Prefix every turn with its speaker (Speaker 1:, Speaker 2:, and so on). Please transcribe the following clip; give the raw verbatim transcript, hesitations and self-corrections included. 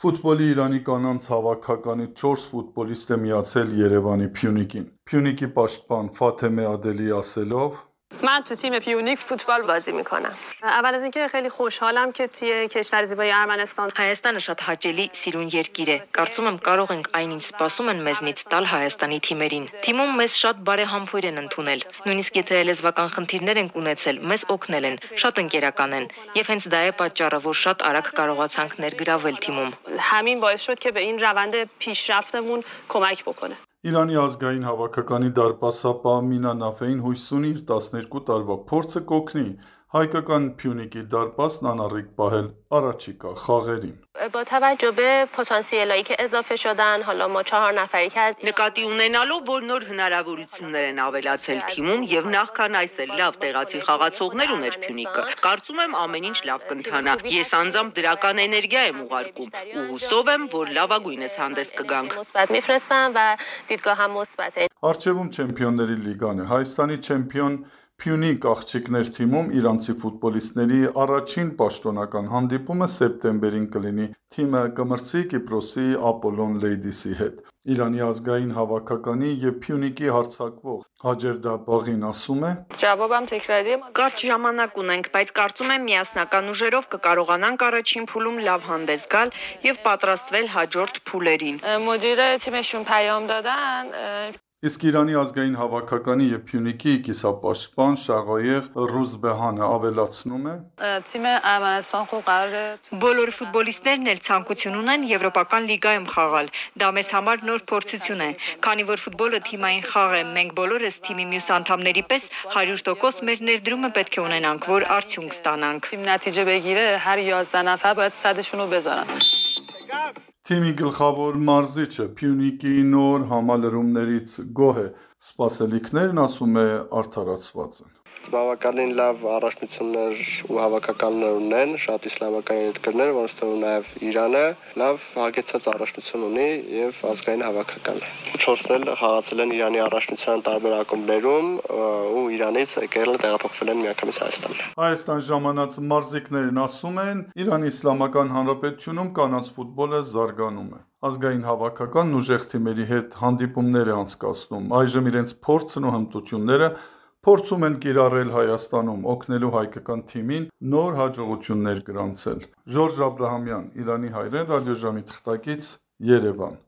Speaker 1: Ֆուտբոլի Իրանի կանանց հավաքականի չորս ֆուտբոլիստ է միացել Երևանի Փյունիկին։ Փյունիկի պաշտպան Ֆաթեմե Ադելիի ասելով
Speaker 2: من تو تیم پیونیک فوتبال بازی میکنم. اول از اینکه خیلی خوشحالم که توی کشور زیبای ارمنستان
Speaker 3: Հայաստանը շատ հաճելի, սիրուն երկիր է։ Կարծում եմ կարող ենք այն ինչ սպասում են մեզնից տալ Հայաստանի թիմերին։ Թիմում մեզ շատ բարեհամբույր են ընդունել։ Նույնիսկ եթե լեզվական խնդիրներ ենք ունեցել, մեզ օգնել են, շատ ընկերական են։ Եվ հենց դա է պատճառը, որ շատ արագ կարողացանք ներգրավել թիմում։
Speaker 2: همین باعث شد که به این روند پیشرفتمون کمک بکنه.
Speaker 1: Իրանի ազգային հավաքականի դարպասապահ Մինա Նաֆեին հույս ունի իր տասներկու տարվա փորձը կօգնի հայկական Փյունիկի դարպասն անառիկ պահել առաջիկա խաղերին։
Speaker 4: با توجه به پتانسیلایی که اضافه شدن حالا ما چهار نفری که از
Speaker 5: Նկատի ունենալով, որ նոր հնարավորություններ են ավելացել թիմում եւ նախքան այս էլ լավ տեղացի խաղացողներ ուներ Փյունիկը, կարծում եմ ամեն ինչ լավ կընթանա։ Ես անձամբ դրական էներգիա եմ ուղարկում ու հուսով եմ, որ լավագույնս հանդես կգանք։
Speaker 4: مثبت میفرستم و دیدگاهم مثبته.
Speaker 1: Արջևում Չեմպիոնների լիգան է։ Հայաստանի չեմպիոն Փյունիկ աղջիկներ թիմում իրանցի ֆուտբոլիստների առաջին պաշտոնական հանդիպումը սեպտեմբերին կլինի։ Թիմը կմրցի Կիպրոսի Ապոլոն Լեյդիսի հետ։ Իրանի ազգային հավաքականի եւ Փյունիկի հարձակվող Հաջերդա Բաղին ասում է.
Speaker 2: جوابم تکراریه.
Speaker 3: Կարճ ժամանակ ունենք, բայց կարծում եմ միասնական ուժերով կկարողանանք առաջին փուլում լավ հանդես գալ եւ պատրաստվել հաջորդ փուլերին։
Speaker 2: مدیر تیمشون پیام دادن
Speaker 1: Իսկ Իրանի ազգային հավաքականի եւ Փյունիկի կիսապաշտպան Շաղայեղ Ռուզբեհանը ավելացնում է.
Speaker 2: تیم ارمنستان خوب قراره
Speaker 3: Բոլոր ֆուտբոլիստներն էլ ցանկություն ունեն եվրոպական լիգայում խաղալ։ Դա մեզ համար նոր փորձություն է, քանի որ ֆուտբոլը թիմային խաղ է, մենք բոլորս թիմի մյուս անդամների պես հարյուր տոկոս մեր ներդրումը պետք է ունենանք, որ արդյունք ստանանք։
Speaker 2: تیم نتیجه بگیره هر یازده نفر باید صدشون رو بذارن.
Speaker 1: Թիմի գլխավոր մարզիչը Փյունիկի նոր համալրումներից գոհ է, սպասելիքներն ասում է արդարացված են։
Speaker 6: Բավականին լավ առաջնություններ ու հավաքականներ ունեն, շատ իսլամական երկրներ, որոնց թվում նաև Իրանը լավ հագեցած առաջնություն ունի եւ ազգային հավաքական է։ Չորսն էլ խաղացել են Իրանի առաջնության տարբեր ակումբներում ու Իրանից եկել տեղափոխվել են միանգամից Հայաստան։
Speaker 1: Հայաստան ժամանած մարզիկներն ասում են, Իրանի Իսլամական Հանրապետությունում կանանց ֆուտբոլը զարգանում է։ Ազգային հավաքականն ուժեղ թիմերի հետ հանդիպումներ է անցկացնում, այժմ իրենց փորձն ու հմտությունները փորձում են կիրառել Հայաստանում, օգնելու հայկական թիմին նոր հաջողություններ գրանցել։ Ժորժ Աբրահամյան, Իրանի հայրեն, ռադիոժամի թղթակից, Երևան։